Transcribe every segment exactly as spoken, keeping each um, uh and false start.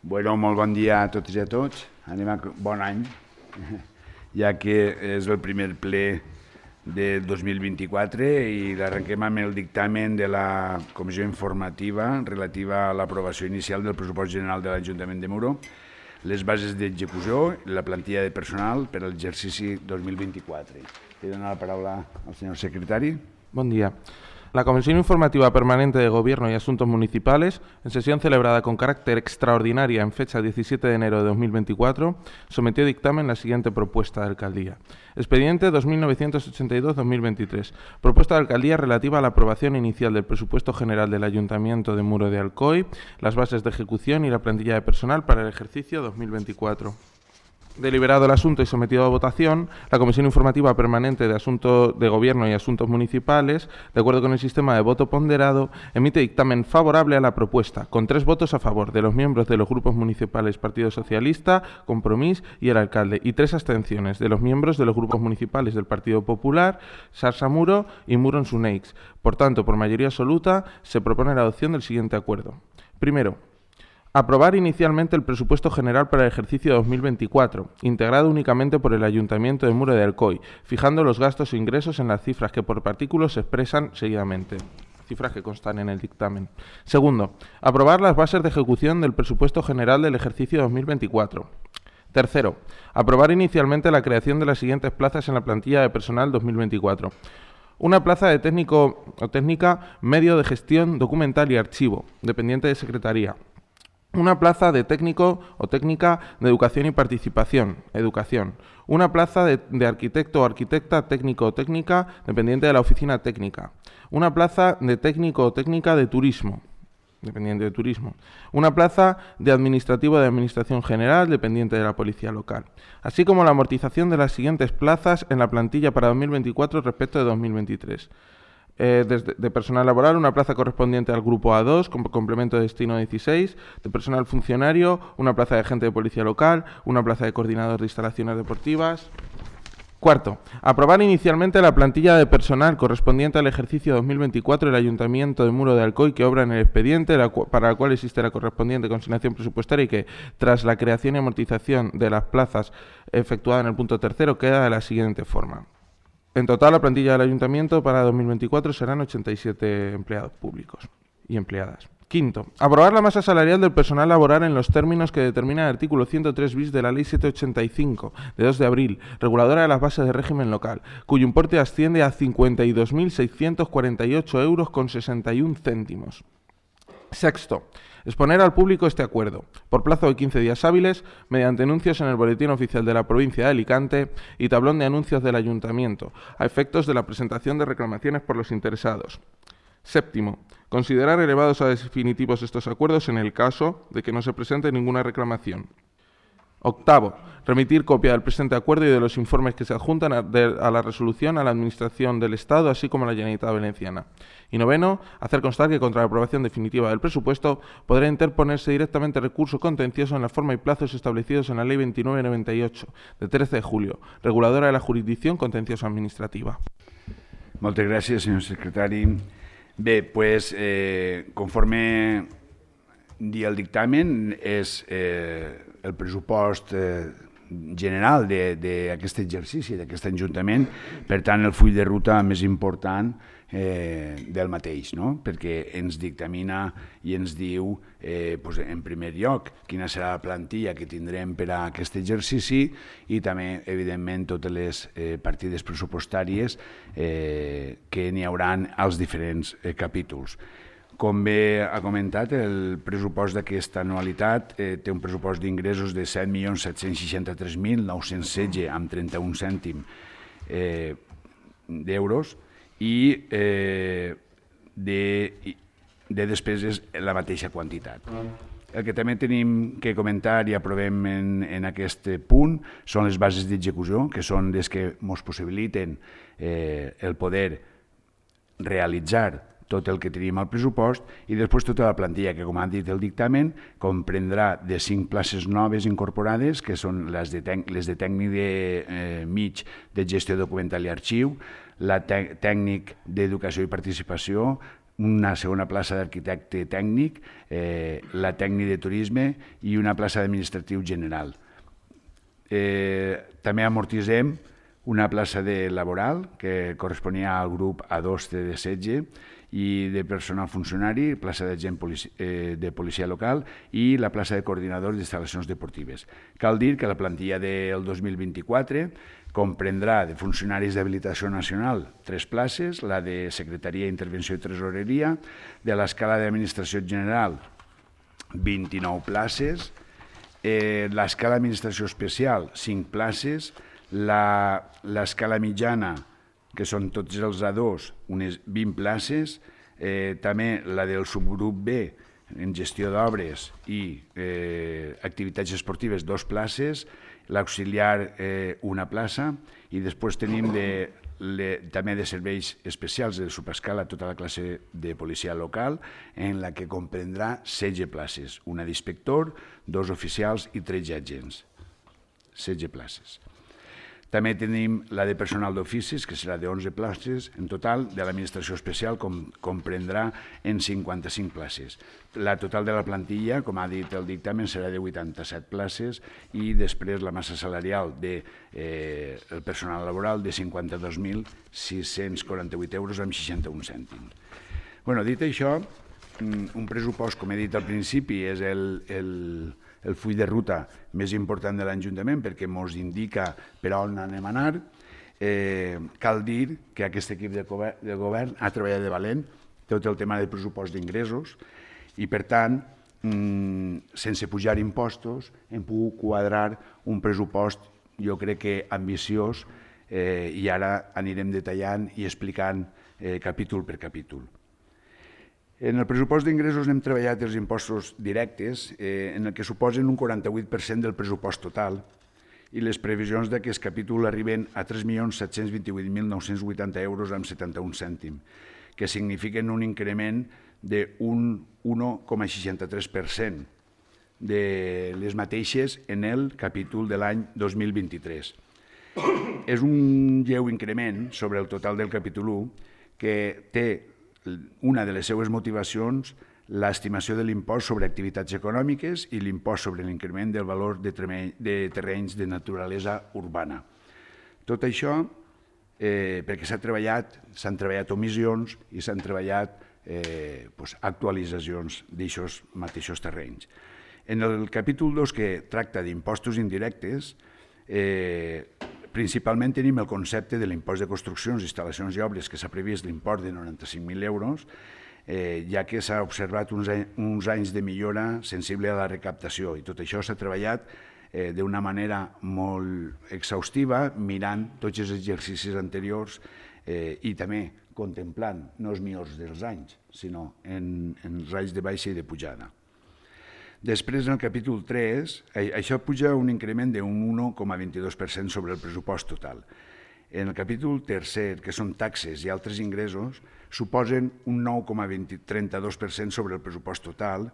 Bueno, molt bon dia a totes i a tots. Anem a bon any, ja que és el primer ple de dos mil vint-i-quatre i l'arrenquem amb el dictamen de la Comissió Informativa relativa a l'aprovació inicial del pressupost general de l'Ajuntament de Muro, les bases d'execució i la plantilla de personal per a l'exercici dos mil vint-i-quatre. Li dono la paraula al senyor secretari. Buen día. La Comisión Informativa Permanente de Gobierno y Asuntos Municipales, en sesión celebrada con carácter extraordinaria en fecha diecisiete de enero de dos mil veinticuatro, sometió a dictamen la siguiente propuesta de alcaldía. Expediente dos mil novecientos ochenta y dos barra dos mil veintitrés. Propuesta de alcaldía relativa a la aprobación inicial del presupuesto general del Ayuntamiento de Muro de Alcoy, las bases de ejecución y la plantilla de personal para el ejercicio dos mil veinticuatro. Deliberado el asunto y sometido a votación, la Comisión Informativa Permanente de Asuntos de Gobierno y Asuntos Municipales, de acuerdo con el sistema de voto ponderado, emite dictamen favorable a la propuesta, con tres votos a favor de los miembros de los grupos municipales Partido Socialista, Compromís y el alcalde, y tres abstenciones de los miembros de los grupos municipales del Partido Popular, Sarsa Muro y Muro en Suneix. Por tanto, por mayoría absoluta, se propone la adopción del siguiente acuerdo. Primero, aprobar inicialmente el presupuesto general para el ejercicio dos mil veinticuatro, integrado únicamente por el Ayuntamiento de Muro de Alcoy, fijando los gastos e ingresos en las cifras que por partículos se expresan seguidamente. Cifras que constan en el dictamen. Segundo, aprobar las bases de ejecución del presupuesto general del ejercicio dos mil veinticuatro. Tercero, aprobar inicialmente la creación de las siguientes plazas en la plantilla de personal dos mil veinticuatro. Una plaza de técnico o técnica medio de gestión documental y archivo, dependiente de Secretaría. Una plaza de técnico o técnica de educación y participación, educación. Una plaza de, de arquitecto o arquitecta técnico o técnica dependiente de la oficina técnica. Una plaza de técnico o técnica de turismo, dependiente de turismo. Una plaza de administrativo de administración general dependiente de la policía local. Así como la amortización de las siguientes plazas en la plantilla para dos mil veinticuatro respecto de dos mil veintitrés. Eh, desde, de personal laboral, una plaza correspondiente al grupo A dos, con complemento de destino dieciséis, de personal funcionario, una plaza de agente de policía local, una plaza de coordinador de instalaciones deportivas. Cuarto, aprobar inicialmente la plantilla de personal correspondiente al ejercicio dos mil veinticuatro del Ayuntamiento de Muro de Alcoy que obra en el expediente, la para la cual existe la correspondiente consignación presupuestaria y que, tras la creación y amortización de las plazas efectuada en el punto tercero, queda de la siguiente forma. En total, la plantilla del Ayuntamiento para dos mil veinticuatro serán ochenta y siete empleados públicos y empleadas. Quinto, aprobar la masa salarial del personal laboral en los términos que determina el artículo ciento tres bis de la Ley setecientos ochenta y cinco, de dos de abril, reguladora de las bases de régimen local, cuyo importe asciende a cincuenta y dos mil seiscientos cuarenta y ocho euros con sesenta y un céntimos. Sexto, exponer al público este acuerdo, por plazo de quince días hábiles, mediante anuncios en el Boletín Oficial de la Provincia de Alicante y tablón de anuncios del Ayuntamiento, a efectos de la presentación de reclamaciones por los interesados. Séptimo, considerar elevados a definitivos estos acuerdos en el caso de que no se presente ninguna reclamación. Octavo, remitir copia del presente acuerdo y de los informes que se adjuntan a, de, a la resolución a la Administración del Estado, así como a la Generalitat Valenciana. Y noveno, hacer constar que contra la aprobación definitiva del presupuesto podrá interponerse directamente recurso contencioso en la forma y plazos establecidos en la Ley veintinueve noventa y ocho, de trece de julio, reguladora de la jurisdicción contenciosa administrativa. Moltes gràcies, senyor secretari. Bé, pues, eh, conforme dia el dictamen, és eh, el pressupost eh, general d'aquest exercici, d'aquest Ajuntament, per tant, el full de ruta més important eh, del mateix, no? Perquè ens dictamina i ens diu, eh, pues, en primer lloc, quina serà la plantilla que tindrem per a aquest exercici i també, evidentment, totes les eh, partides pressupostàries eh, que n'hi hauran als diferents eh, capítols. Com bé ha comentat, el pressupost d'aquesta anualitat eh, té un pressupost d'ingressos de set milions set-cents seixanta-tres mil nou-cents setze amb trenta-un cèntim eh, d'euros i eh, de, de despeses la mateixa quantitat. El que també tenim que comentar i aprovem en, en aquest punt són les bases d'execució, que són les que ens possibiliten eh, el poder realitzar tot el que tenim al pressupost i després tota la plantilla que, com ha dit el dictamen, comprendrà de cinc places noves incorporades, que són les de, les de tècnic de, eh, mig de gestió documental i arxiu, la tècnic d'educació i participació, una segona plaça d'arquitecte tècnic, eh, la tècnic de turisme i una plaça d'administratiu general. Eh, també amortitzem una plaça de laboral que corresponia al grup A dos de setge i de personal funcionari, plaça d'agent polici eh, de policia local i la plaça de coordinador d'instal·lacions deportives. Cal dir que la plantilla del dos mil vint-i-quatre comprendrà de funcionaris d'habilitació nacional tres places, la de secretaria, intervenció i tresoreria, de l'escala d'administració general vint-i-nou places, eh, l'escala d'administració especial cinc places, l'escala mitjana, que són tots els A dos, unes vint places, eh, també la del subgrup B, en gestió d'obres i eh, activitats esportives, dos places, l'auxiliar eh, una plaça, i després tenim de, le, també de serveis especials de subescala tota la classe de policia local, en la que comprendrà setze places, una d'inspector, dos oficials i tretze agents, setze places. També tenim la de personal d'oficis, que serà de onze places en total, de l'administració especial com comprendrà en cinquanta-cinc places. La total de la plantilla, com ha dit el dictamen, serà de vuitanta-set places i després la massa salarial del eh, personal laboral de cinquanta-dos mil sis-cents quaranta-vuit euros amb seixanta-un cèntims. Bueno, dit això, un pressupost, com he dit al principi, és el... el el full de ruta més important de l'Ajuntament perquè ens indica per on anem a anar. Eh, cal dir que aquest equip de govern, de govern ha treballat de valent tot el tema del pressupost d'ingressos i, per tant, mmm, sense pujar impostos, hem pogut quadrar un pressupost, jo crec que ambiciós, eh, i ara anirem detallant i explicant eh, capítol per capítol. En el pressupost d'ingressos hem treballat els impostos directes, eh, en el que suposen un quaranta-vuit per cent del pressupost total, i les previsions d'aquest capítol arriben a tres milions set-cents vint-i-vuit mil nou-cents vuitanta euros amb setanta-un cèntims, que signifiquen un increment d'un un coma seixanta-tres per cent de les mateixes en el capítol de l'any dos mil vint-i-tres. És un lleu increment sobre el total del capítol u que té una de les seues motivacions l'estimació de l'impost sobre activitats econòmiques i l'impost sobre l'increment del valor de terrenys de naturalesa urbana. Tot això eh, perquè s'ha treballat, s'han treballat omissions i s'han treballat eh, pues, actualitzacions d'aixòs mateixos terrenys. En el capítol dos, que tracta d'impostos indirectes, eh, principalment tenim el concepte de l'impost de construccions, instal·lacions i obres que s'ha previst l'import de noranta-cinc mil euros, eh, ja que s'ha observat uns, uns anys de millora sensible a la recaptació i tot això s'ha treballat eh, d'una manera molt exhaustiva, mirant tots els exercicis anteriors eh, i també contemplant no els millors dels anys, sinó en, en els anys de baixa i de pujada. Després, en el capítol tres, això puja un increment d'un un coma vint-i-dos per cent sobre el pressupost total. En el capítol tercer, que són taxes i altres ingressos, suposen un nou coma trenta-dos per cent sobre el pressupost total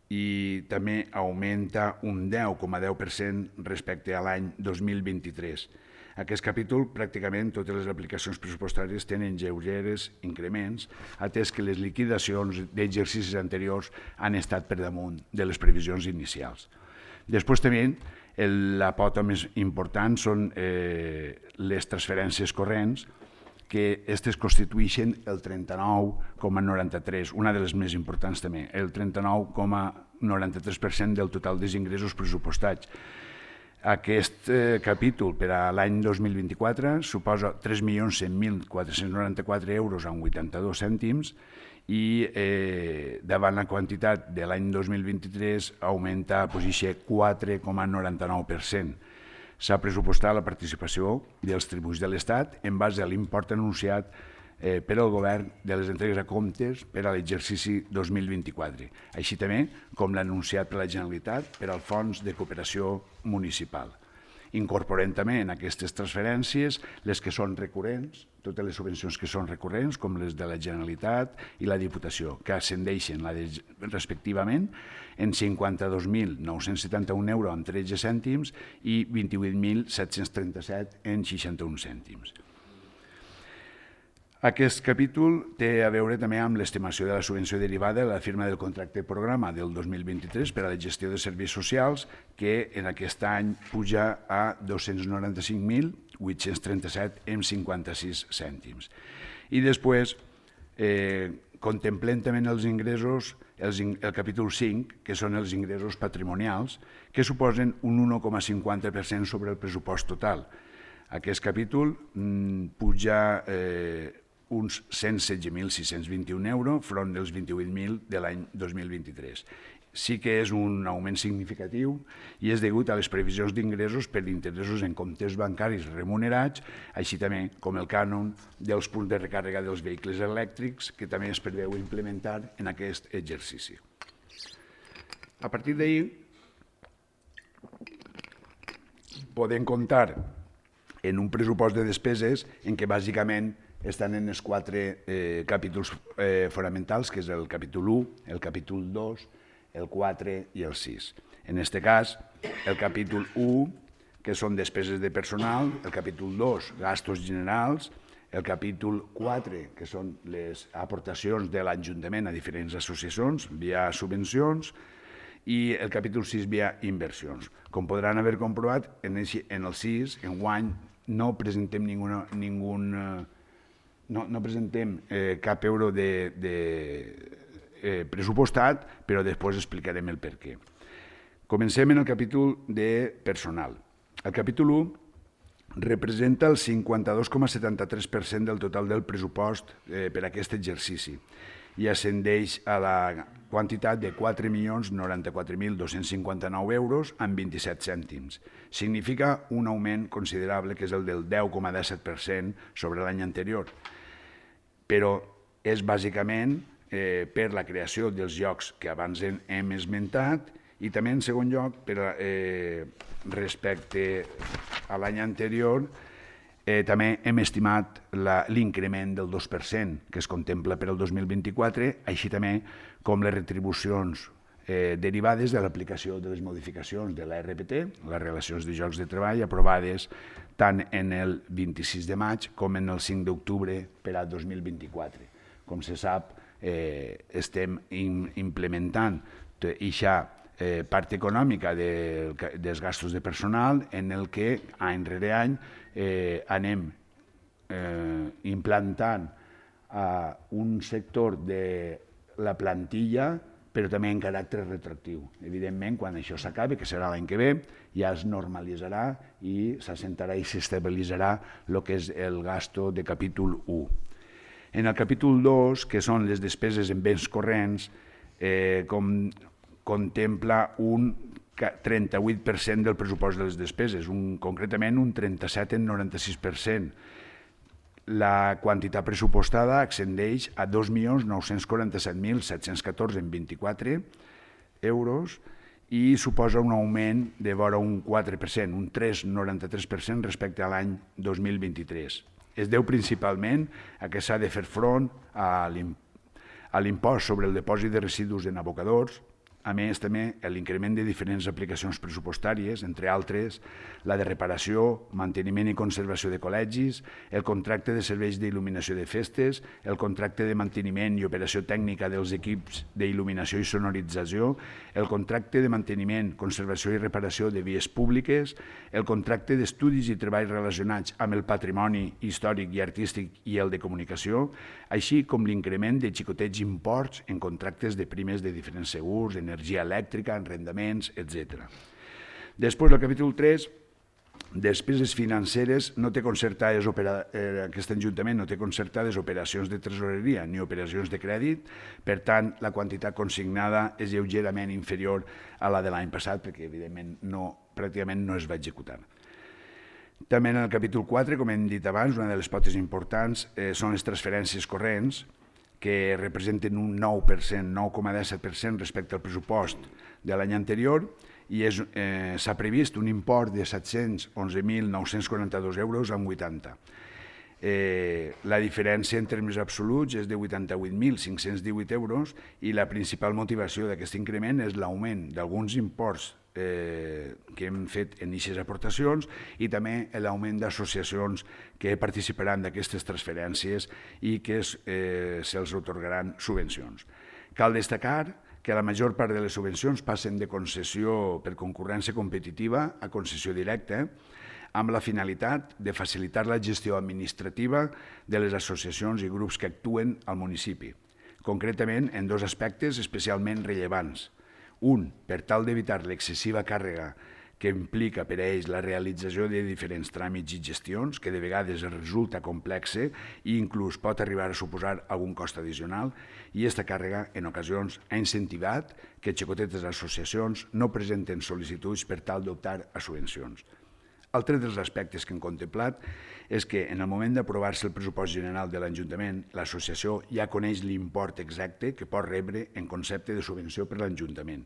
i també augmenta un deu coma deu per cent respecte a l'any dos mil vint-i-tres. Aquest capítol, pràcticament totes les aplicacions pressupostàries tenen lleugeres increments, atès que les liquidacions d'exercicis anteriors han estat per damunt de les previsions inicials. Després també la pota més important són eh, les transferències corrents, que aquestes constitueixen el trenta-nou coma noranta-tres, una de les més importants també, el trenta-nou coma noranta-tres per cent del total dels ingressos pressupostats. Aquest eh, capítol per a l'any dos mil vint-i-quatre suposa tres milions cent mil quatre-cents noranta-quatre euros amb vuitanta-dos cèntims i eh, davant la quantitat de l'any dos mil vint-i-tres augmenta a posició quatre coma noranta-nou per cent. S'ha pressupostat la participació dels tributs de l'Estat en base a l'import anunciat eh, per al govern de les entregues a comptes per a l'exercici dos mil vint-i-quatre, així també com l'ha anunciat per la Generalitat per al Fons de Cooperació Municipal. Incorporem també en aquestes transferències les que són recurrents, totes les subvencions que són recurrents, com les de la Generalitat i la Diputació, que ascendeixen respectivament en cinquanta-dos mil nou-cents setanta-un euros amb tretze cèntims i vint-i-vuit mil set-cents trenta-set en seixanta-un cèntims. Aquest capítol té a veure també amb l'estimació de la subvenció derivada de la firma del contracte programa del dos mil vint-i-tres per a la gestió de serveis socials, que en aquest any puja a dos-cents noranta-cinc mil vuit-cents trenta-set coma cinquanta-sis cèntims. I després eh, contemplem també els ingressos, els, el capítol cinc, que són els ingressos patrimonials, que suposen un un coma cinquanta per cent sobre el pressupost total. Aquest capítol mm, puja eh, uns cent setze mil sis-cents vint-i-un euros front dels vint-i-vuit mil de l'any dos mil vint-i-tres. Sí que és un augment significatiu i és degut a les previsions d'ingressos per interessos en comptes bancaris remunerats, així també com el cànon dels punts de recàrrega dels vehicles elèctrics, que també es preveu implementar en aquest exercici. A partir d'ahir podem comptar en un pressupost de despeses en què bàsicament estan en els quatre eh, capítols eh, fonamentals, que és el capítol u, el capítol dos, el quatre i el sis. En aquest cas, el capítol u, que són despeses de personal, el capítol dos, gastos generals, el capítol quatre, que són les aportacions de l'Ajuntament a diferents associacions via subvencions, i el capítol sis via inversions. Com podran haver comprovat, en el sis, enguany, no presentem ninguna, ningun, no, no presentem eh, cap euro de, de eh, pressupostat, però després explicarem el per què. Comencem en el capítol de personal. El capítol u representa el cinquanta-dos coma setanta-tres per cent del total del pressupost eh, per a aquest exercici i ascendeix a la quantitat de quatre milions noranta-quatre mil dos-cents cinquanta-nou euros amb vint-i-set cèntims. Significa un augment considerable, que és el del deu coma disset per cent sobre l'any anterior, però és bàsicament eh, per la creació dels llocs que abans hem esmentat i també, en segon lloc, per, eh, respecte a l'any anterior, Eh, també hem estimat l'increment del dos per cent que es contempla per al dos mil vint-i-quatre, així també com les retribucions eh, derivades de l'aplicació de les modificacions de l'A R P T, les relacions de llocs de treball, aprovades tant en el vint-i-sis de maig com en el cinc d'octubre per al dos mil vint-i-quatre. Com se sap, eh, estem in, implementant aquesta eh, part econòmica de, dels gastos de personal en el que any rere any Eh, anem eh, implantant a un sector de la plantilla, però també en caràcter retroactiu. Evidentment, quan això s'acabi, que serà l'any que ve, ja es normalitzarà i s'assentarà i s'estabilitzarà el que és el gasto de capítol u. En el capítol dos, que són les despeses en béns corrents, eh, com contempla un trenta-vuit per cent del pressupost de les despeses, un, concretament un trenta-set coma noranta-sis per cent. La quantitat pressupostada ascendeix a dos milions nou-cents quaranta-set mil set-cents catorze coma vint-i-quatre euros i suposa un augment de vora un quatre per cent, un tres coma noranta-tres per cent respecte a l'any dos mil vint-i-tres. Es deu principalment a que s'ha de fer front a l'impost sobre el dipòsit de residus en abocadors, a més, també, l'increment de diferents aplicacions pressupostàries, entre altres, la de reparació, manteniment i conservació de col·legis, el contracte de serveis d'il·luminació de festes, el contracte de manteniment i operació tècnica dels equips d'il·luminació i sonorització, el contracte de manteniment, conservació i reparació de vies públiques, el contracte d'estudis i treballs relacionats amb el patrimoni històric i artístic i el de comunicació, així com l'increment de xicotets imports en contractes de primes de diferents segurs, energia elèctrica, arrendaments, etcètera. Després, el capítol tres, despeses financeres, no té concertades, eh, aquest Ajuntament no té concertades operacions de tresoreria ni operacions de crèdit, per tant, la quantitat consignada és lleugerament inferior a la de l'any passat, perquè, evidentment, no, pràcticament no es va executar. També en el capítol quatre, com hem dit abans, una de les potes importants eh, són les transferències corrents, que representen un nou per cent, nou coma disset per cent respecte al pressupost de l'any anterior, i eh, s'ha previst un import de set-cents onze mil nou-cents quaranta-dos euros amb vuitanta. Eh, la diferència en termes absoluts és de vuitanta-vuit mil cinc-cents divuit euros i la principal motivació d'aquest increment és l'augment d'alguns imports eh, que hem fet en aquestes aportacions i també l'augment d'associacions que participaran d'aquestes transferències i que eh, se'ls atorgaran subvencions. Cal destacar que la major part de les subvencions passen de concessió per concurrència competitiva a concessió directa, amb la finalitat de facilitar la gestió administrativa de les associacions i grups que actuen al municipi, concretament en dos aspectes especialment rellevants. Un, per tal d'evitar l'excessiva càrrega que implica per a ells la realització de diferents tràmits i gestions, que de vegades resulta complexa i inclús pot arribar a suposar algun cost addicional, i aquesta càrrega, en ocasions, ha incentivat que xicotetes associacions no presenten sol·licituds per tal d'optar a subvencions. Altre dels aspectes que hem contemplat és que en el moment d'aprovar-se el pressupost general de l'Ajuntament, l'associació ja coneix l'import exacte que pot rebre en concepte de subvenció per l'Ajuntament,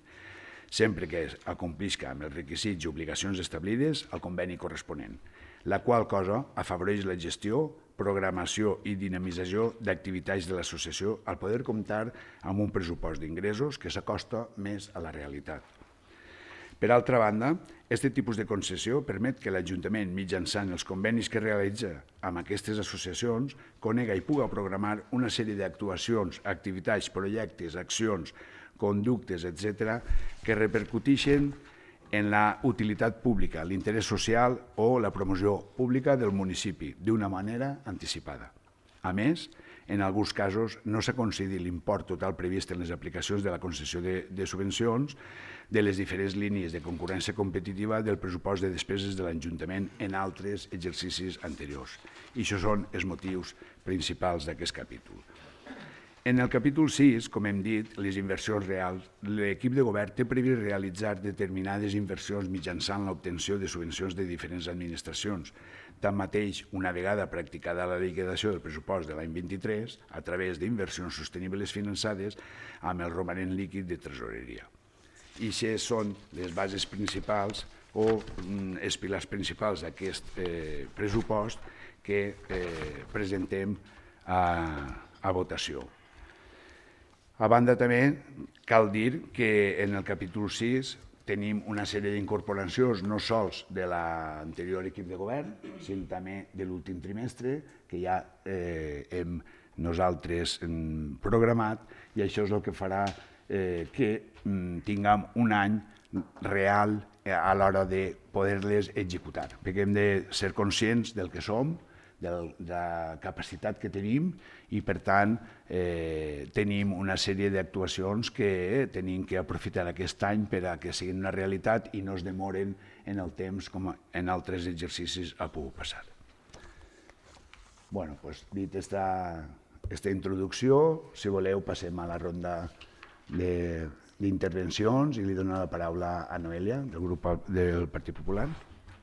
sempre que acomplisca amb els requisits i obligacions establides al conveni corresponent, la qual cosa afavoreix la gestió, programació i dinamització d'activitats de l'associació al poder comptar amb un pressupost d'ingressos que s'acosta més a la realitat. Per altra banda, aquest tipus de concessió permet que l'Ajuntament, mitjançant els convenis que realitza amb aquestes associacions, conega i puga programar una sèrie d'actuacions, activitats, projectes, accions, conductes, etcètera, que repercuteixen en la utilitat pública, l'interès social o la promoció pública del municipi d'una manera anticipada. A més, en alguns casos no s'ha concedit l'import total previst en les aplicacions de la concessió de, de subvencions de les diferents línies de concurrència competitiva del pressupost de despeses de l'Ajuntament en altres exercicis anteriors. I això són els motius principals d'aquest capítol. En el capítol sis, com hem dit, les inversions reals, l'equip de govern té previst realitzar determinades inversions mitjançant l'obtenció de subvencions de diferents administracions. Tanmateix, una vegada practicada la liquidació del pressupost de l'any vint-i-tres, a través d'inversions sostenibles finançades amb el romanent líquid de tresoreria. I aquestes són les bases principals o els pilars principals d'aquest eh, pressupost que eh, presentem a, a votació. A banda també cal dir que en el capítol sis tenim una sèrie d'incorporacions no sols de l'anterior equip de govern, sinó també de l'últim trimestre, que ja eh, hem nosaltres hem programat, i això és el que farà eh, que mm, tinguem un any real a l'hora de poder-les executar, perquè hem de ser conscients del que som, de la capacitat que tenim i, per tant, eh, tenim una sèrie d'actuacions que tenim que aprofitar aquest any per a que siguin una realitat i no es demoren en el temps com en altres exercicis ha pogut passar. Bé, doncs, dit aquesta introducció, si voleu passem a la ronda d'intervencions i li dono la paraula a Noelia, del grup del Partit Popular.